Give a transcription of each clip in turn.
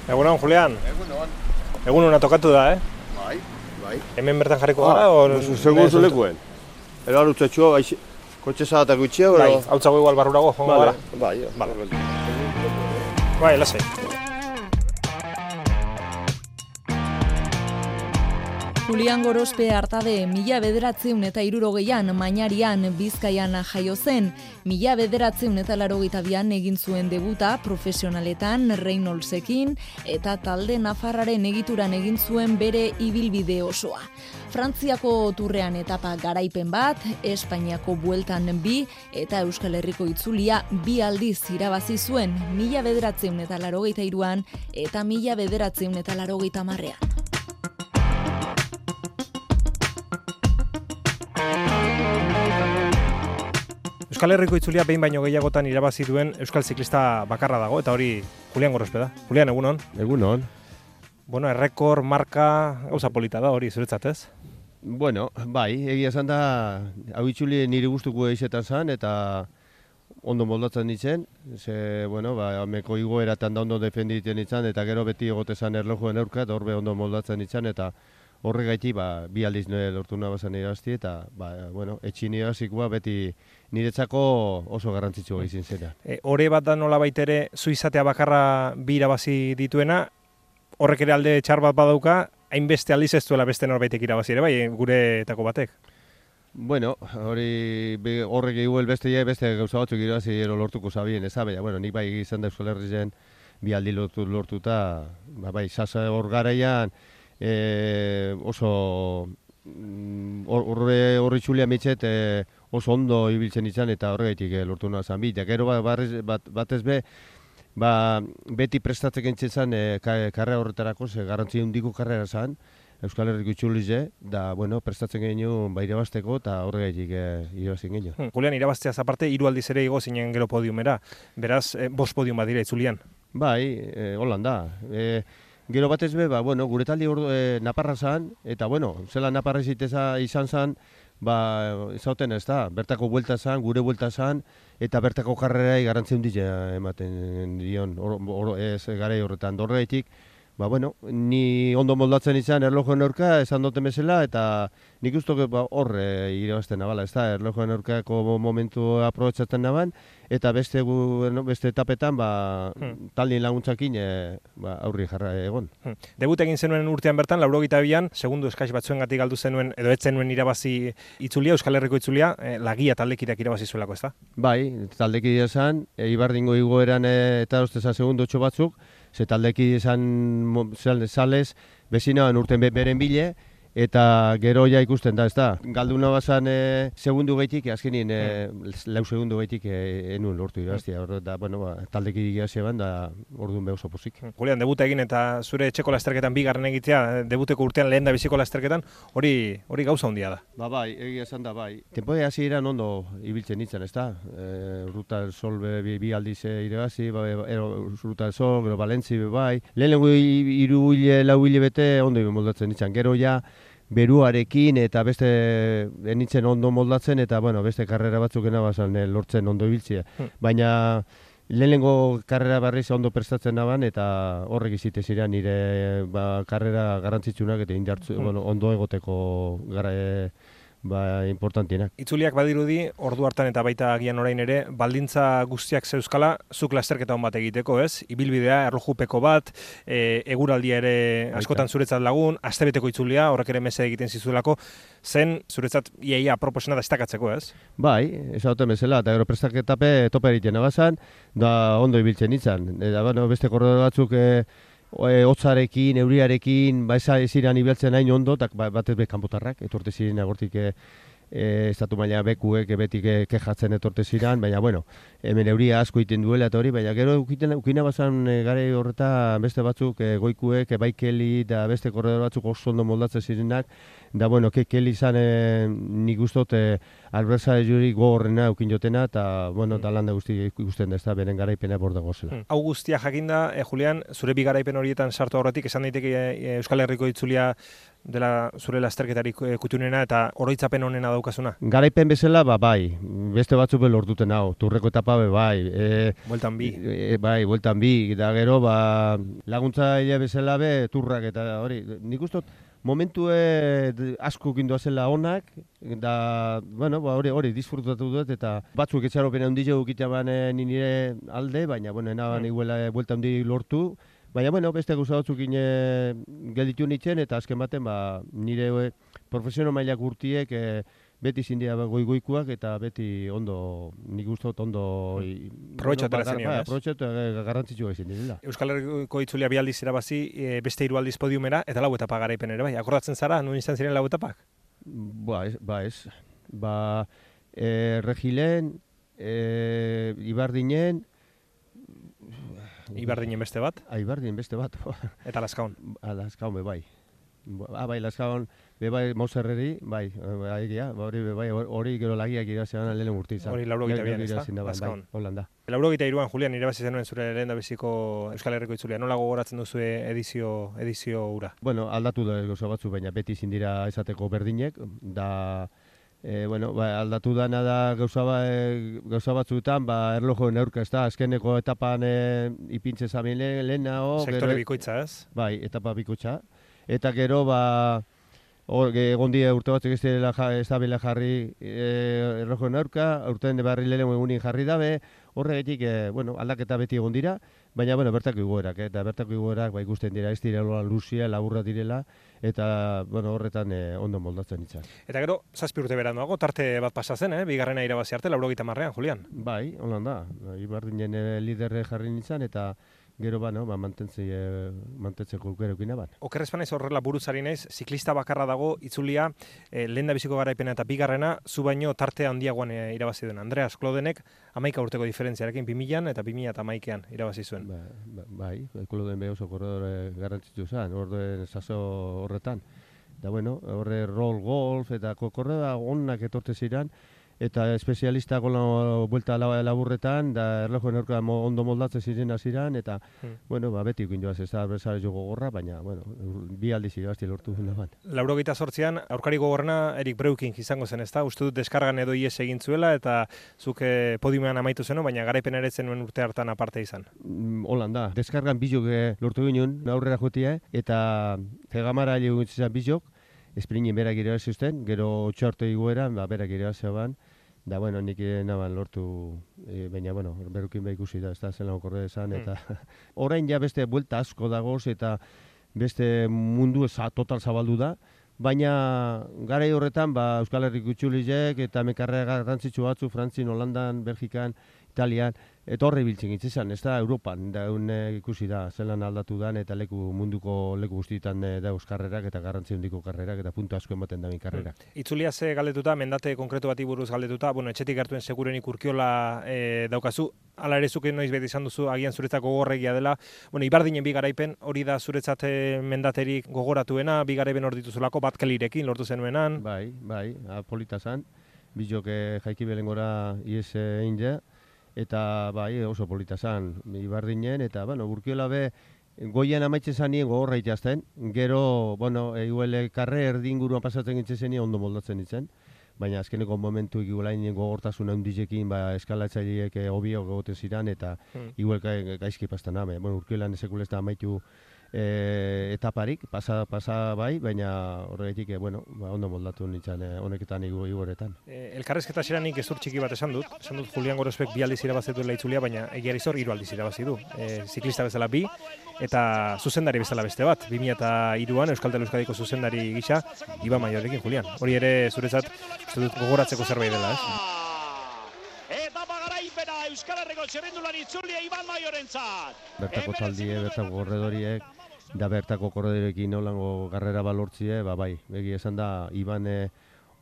Egunon, Julian. Egunon. Egunon tokatu da, Bai. Hemen bertan jarriko gara, o... Segun zulekuen. Ero alutzetxo, kotxe zahatak gutxia, Bai, hau txago igual barrurago, jongo gara. Bai, Bai, lasai. Julian Gorospe Artade 1960an Mañarian Bizkaian jaio zen. 1982an egin zuen debuta profesionaletan Reynoldsekin eta talde nafarraren egituran egin zuen bere ibilbide osoa. Frantziako turrean etapa garaipen bat, Espainiako bueltan 2 eta Euskal Herriko itzulia 2 aldiz irabazi zuen 1983an eta 1990an. Euskal Herriko itzulia behin baino gehiagotan irabazi duen euskal ziklista bakarra dago, eta hori Julian Gorospe da. Julian, egunon. Egunon. Bueno, errekor, marka, gauza polita da hori, zuretzat ez? Bueno, bai, egia esan da, hau itzuli nire gustuko izetan zen, eta ondo moldatzen ditzen, ze, bueno, ameko igoeratan da ondo defenditen ditzen, eta gero beti egotezan erlojuen aurka, eta horbe ondo moldatzen ditzen, eta horregaiti, 2 aldiz lortu nabazan irabazti, eta, bueno, etxin irabazikoa beti niretzako oso garrantzitsua izin zena. Hore bat da nola baitere, zu izatea bakarra 2 irabazi dituena, horrek ere alde txar bat badauka, hainbeste aldiz ez duela beste norbaitek irabazi ere, bai, guretako batek. Bueno, horrek igual beste gauza batzuk irabazi lortuko zabien, baina, bueno, nik bai izan da Euskal Herrien 2 aldi lortuta, bai, sasa hor garaian, oso horri txulia mitxet oso ondo ibiltzen izan eta horregaitik lortu nahi zan bit. Gero batez beti prestatzen gintzen zan karrera horretarako, garrantzi handiko karrera zan, Euskal Herriko itxulize, da, bueno, prestatzen genuen irabazteko eta horregaitik irabazten genuen. Julian, irabazteaz aparte, 3 aldiz ere igo zinen gero podiumera, beraz, 5 podium bat dira itzulian. Bai, holan da. Gero batez bueno, gure taldi naparra zan, eta, bueno, zela naparra izan zan, izauten ez da, bertako buelta zan, gure buelta zan, eta bertako karrerai garrantzia handia ematen dion, garai horretan horregaitik. Bueno, ni ondo moldatzen izan erlojoen aurka, esan duten bezala, eta nik uste hor irabazten nabala, ez da, erlojoen aurkako momentu aprobetsatzen naban, eta beste etapetan taldien laguntzakin aurri jarra egon. Debut egin zenuen urtean bertan, 82an, segundu eskais batzuengatik galdu zenuen, edo ez zenuen irabazi itzulia, Euskal Herriko itzulia, Lagia taldekideak irabazi zuelako, ez da? Bai, taldekidea zen, Ibardingo igoeran eta ostezan segundu batzuk, ze taldeki izan sales, bezinaban urten beren bile, eta gero ja ikusten da, ez da. Galduna bazan segundu gaitik, azkenin 4 segundu gaitik enuen lortu irabaztia. Da, bueno, taldeki digazia ban, da orduan oso pozik. Julian, debuta egin eta zure etxeko lasterketan 2. egitea, debuteko urtean lehen da biziko lasterketan, hori gauza handia da. Bai, egia esan da, bai. Tempoa hasi eran ondo ibiltzen nintzen, ez da. Ruta del Sol 2 aldiz irabazi, Ruta del Sol, gero Valentzi, bai. Lehenengo 3 hile, 4 hile bete ondo moldatzen nintzen. Gero ja, beruarekin eta beste nintzen ondo moldatzen eta bueno, beste karrera batzuk enabazan lortzen ondo ibiltzea. Baina lehenengo karrera barriz ondo prestatzen naban eta horrek izite ziren nire karrera garrantzitsunak eta ondo egoteko importantienak. Itzuliak badirudi, ordu hartan eta baita agian orain ere, baldintza guztiak zeuzkala, zuk lasterketa hon bat egiteko, ez? Ibilbidea, erlojupeko bat, eguraldia ere askotan zuretzat lagun, astebeteko itzulia, horrek ere mese egiten zizuelako, zen zuretzat iaia proposena destakatzeko, ez? Bai, esauten bezala, eta gero prestaketape tope egiten abazan, da ondo ibiltzen nintzen. Eta beste korredor batzuk hotzarekin, euriarekin, ziren ibiltzen hain ondo, eta batez kanpotarrak, etorte ziren agortik estatu maila bekuek beti kejatzen etorte ziren, baina, bueno, hemen euria asko iten duela eta hori, baina gero ukina bazan gare horreta beste batzuk goikuek, bai Keli eta beste korredor batzuk oso ondo moldatzen zirenak, da, bueno, Keli izan nik ustot alberza juri gogorrena eukin jotena, eta, bueno, eta landa guzti ikusten da, ez da, beren garaipena bordago zela. Hau guztia jakinda, Julian, zure 2 garaipen horietan sartu horretik, esan daiteke Euskal Herriko itzulia dela zure lasterketarik kutunena eta oroitzapen honena daukazuna? Garaipen bezala, bai, beste batzuk be lortuten hau, turreko etapa bai. Bueltan bi. Bai, bueltan bi, da gero, laguntza bezala be, turrak eta hori, nik ustot, momentu asko gindoa zela onak, da, bueno, hori disfrutatu dut, eta batzuk etxaropena handia ukitaban nire alde, baina, bueno, enaban iguela buelta handi lortu, baina, bueno, beste gauza batzuk gelditu nintzen, eta azken baten, nire profesional mailak urtiek beti zindia goikuak, eta beti ondo, nik ustot ondo... Probetxatu erazen ez? Probetxatu garrantzitsua izin direla. Euskal Herriko itzulia bi aldiz irabazi, beste 3 aldiz podiumera, eta lau etapa garaipen ere, bai? Akordatzen zara, nun izan ziren lau etapak? Ez. Regilen, Ibardinen... Ibardinen beste bat? Ibardinen beste bat. Eta Lazkaon? Lazkaon, bai. Bai, Lazkaon, bai, Mauserreri, bai, hori gero lagiak irazean lehen urte izan. Hori 82an, ez da? Lazkaon. Holanda. 83an, Julian, irabazi zenuen zure lehen da beziko Euskal Herriko itzulia. Nola gogoratzen duzu edizio ura? Bueno, aldatu da gauza batzu, baina beti ezin dira esateko berdinek, da... aldatu dana da gauza batzuetan, erlojoen aurka, ez da, azkeneko etapan ipintze zamen lehenago... Sektore bikoitza, ez? Bai, etapa bikoitza. Eta gero, egon dira urte batzuk ez da bela jarri erlojoen aurka, urtean barri lehen egunin jarri dabe, horregatik, aldaketa beti egon dira, baina, bertako igoerak, eta bertako igoerak ikusten dira, ez direla luzia, laburra direla, eta, horretan ondo moldatzen itzak. Eta gero, 7 urte beranduago, tarte bat pasa zen, bigarrena irabazi arte, 80an, Julian? Bai, holan da, Ibardinen liderre jarri nintzen, eta gero mantentzeko aukerekin aban. Okerrez banaiz horrela buruzari naiz, ziklista bakarra dago itzulia lehen biziko garaipena eta bigarrena, zu baino tarte handiagoan irabazi duen. Andreas Klodenek 11 urteko diferentziarekin 2000an eta 2011an irabazi zuen. Bai, Kloden be oso korredore garrantzitsu zen, orduen saso horretan. Da horre roll golf eta korreda onak etorte ziren, eta espezialista gola buelta laburretan, da erlojoen aurka ondo moldatzen ziren hasieran eta, beti ukin joaz ez da adversari jo gogorra, baina, bi aldiz irabazti lortu duen ban. 88an, aurkari gogorrena Erik Breukink izango zen, ez da? Uste dut deskargan edo ies egin zuela, eta zuk podiumean amaitu zeno, baina garaipen ere zenuen urte hartan aparte izan. Holan da, deskargan bizok lortu ginen, aurrera jotia, eta Zegamara egun zizan bizok, Espringen berak irabazi zuten, gero 8 arte igueran, berak irabazi ban, da, nik naban lortu, baina, Berukin ikusi da, ez da, zen lago esan, eta orain ja beste buelta asko dagoz, eta beste mundu total zabaldu da, baina garai horretan, Euskal Herriko itzuliek eta mekarrea garrantzitsu batzu, Frantzin, Holandan, Belgikan, Italian, eta horre biltzen gitzizan, ez da, Europan, da, ikusi da, zelan aldatu dan, eta munduko leku guztietan da euskarrerak, eta garrantzi handiko karrerak, eta puntu asko ematen da karrerak. Itzulia ze galdetuta, mendate konkretu bati buruz galdetuta, etxetik hartuen segurenik Urkiola daukazu, hala ere zuke noiz beti izan duzu, agian zuretzako gogorregia dela, Ibardinen bi garaipen, hori da zuretzat mendaterik gogoratuena, bi garaipen hor dituzulako, Batkelirekin lortu zenuenan. Bai, polita zan, bizok jaiki belengora ies egin ja, eta oso polita zan Ibardinen, eta Urkiola be goian amaitzen zanien gogorra itazten, gero, eguele karre erdinguruan pasatzen gintzen zenien ondo moldatzen ditzen, baina azkeneko momentu igulain gogortasun handizekin eskalatzaileek hobiok egoten ziren, eta igual gaizki pastan ame. Urkiolan esekulesta amaitu etaparik, pasa bai, baina horregatik, ondo moldatu nintzen honeketan igoretan. Elkarrezketa xeranik gezur txiki bat esan dut Julian Gorosbek 2 aldiz irabazitu itzulia, baina egiari zor 3 aldiz irabazi du. Ziklista bezala 2, eta zuzendari bezala beste bat, 2003an Euskaltel Euskadiko zuzendari gisa, Iban Maiorekin, Julian. Hori ere zuretzat, uste dut gogoratzeko zerbait dela, ez? Etapa garaipena Euskal Herriko txirrindulari itzulia Iban Maiorentzat. Bertako taldie, bertako korredoriek, da bertako korredorekin nolango garrera balortzie, bai, egia esan da, Iban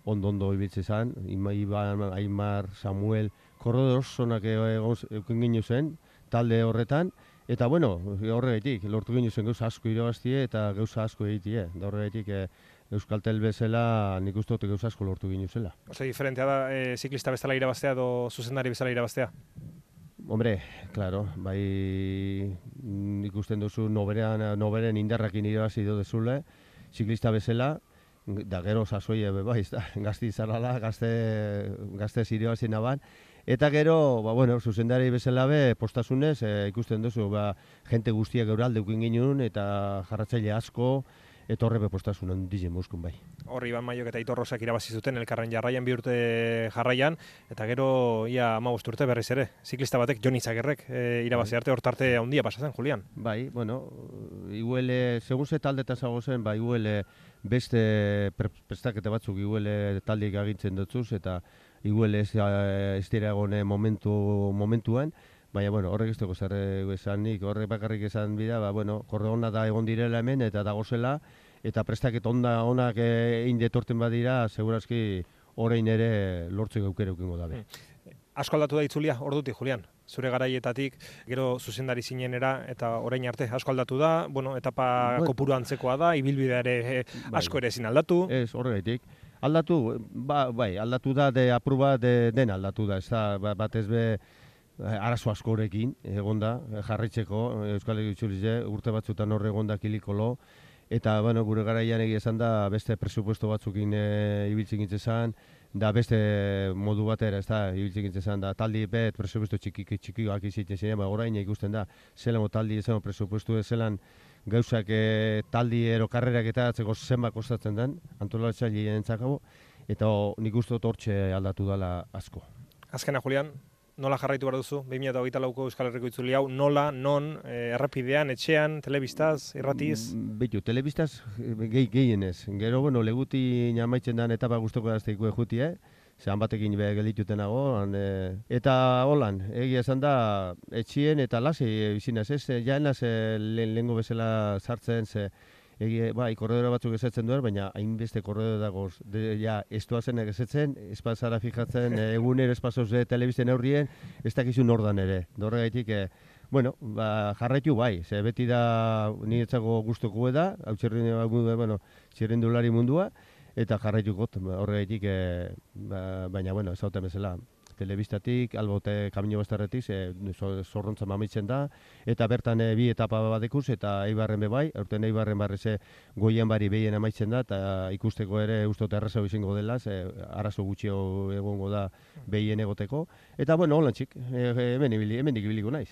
ondo ibiltze zen, Iban, Aimar, Samuel, korredor zonak euken ginu zen, talde horretan, eta horregatik, lortu ginu zen gauza asko irabaztie eta gauza asko egitie, da horregatik Euskaltel bezala nik uste dut gauza asko lortu ginu zela. Oso diferentea da, ziklista bezala irabaztea edo zuzendari bezala irabaztea? Hombre, claro, bai ikusten duzu noberen indarrakin irabazi dezule, ziklista bezala, da gero sasoi bai, gazti izarrala, gazte zirioa zinaban, eta gero, bueno, zuzendari bezala be, postasunez, ikusten duzu, jente guztiak euralde ukin ginuen, eta jarratzaile asko, eta horre bepostasun handizien muskun bai. Horri Iban Maiok eta Aitor Rosak irabazi zuten elkarren jarraian 2 urte jarraian, eta gero ia 15 urte berriz ere, ziklista batek Jon Izagerrek irabazi arte, hortarte handia pasatzen, Julian. Bai, bueno, iguele, segun ze taldetan zago zen, iguele beste prestakete batzuk iguele taldeik agintzen dutzuz, eta iguele ez dira egone momentuan, baina, bueno, horrek ez dugu zer esanik, horrek bakarrik esan bida, bueno, korre hona da egon direla hemen, eta dagozela, eta prestaketa onak egin detorten badira, segurazki orain ere lortzeko aukera eukingo dabe. Asko aldatu da itzulia, ordutik, Julian. Zure garaietatik, gero zuzendari zinenera, eta orain arte asko aldatu da, bueno, etapa kopuru antzekoa da, ibilbidea ere asko ere ezin aldatu. Ez, horregaitik. Aldatu, bai, aldatu da, apur bat den aldatu da, ez da, batez be, arazo asko horrekin, egonda, jarraitzeko, Euskal Herri Itzulize, urte batzutan horre egonda kilikolo, eta, bueno, gure garaian egia esan da, beste presupuesto batzukin ibiltzen gintzen da beste modu batera, ez da, ibiltzen gintzen da, taldi bet presupuesto txikioak izaten ziren, orain ikusten da, zelamo taldi ezan presupuesto zelan gauzak taldi ero karrerak eta atzeko zenbat kostatzen den, antolatzaile entzakabo, eta nik uste dut hortxe aldatu dela asko. Azkena, Julian, nola jarraitu behar duzu, 2024ko Euskal Herriko itzuli hau, nola, non, errepidean, etxean, telebistaz, irratiz? Bitu, telebistaz gehienez. Gero, bueno, leguti namaitzen den etapa guztoko dazteiko ejuti, zehan batekin gelditutenago, eta holan, egia esan da, etxien eta lasi bizinaz, ez, jaenaz lehengo bezala sartzen, bai, korredora batzuk esetzen duen, baina hainbeste korredora dagoz, ez doazenak esetzen, espazara fijatzen, egunero espazoz telebizten aurrien, ez dakizu nordan ere. Horregaitik, bueno, jarraitu bai, ze beti da niretzako guztoko da, hau txirrindulari mundua, eta jarraituko horregaitik, baina, bueno, ez hauten bezala. Telebistatik, albote kamino bastarretik, zorrontza mamitzen da, eta bertan bi etapa badekuz, eta Eibarren bebai, aurten Eibarren barreze goian bari behien amaitzen da, eta ikusteko ere ustote arrazau izango dela, arazo gutxio egongo da behien egoteko, eta bueno, holan txik, hemen ibiliko naiz.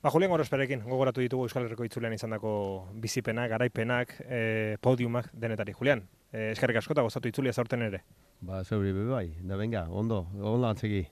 Julian Gorosperekin, gogoratu ditugu Euskal Herriko itzulean izandako bizipenak, garaipenak, podiumak denetari. Julian, eskerrik asko eta gozatu itzulia zaurten ere. Zeuri bebai, da venga, ondo antzegi.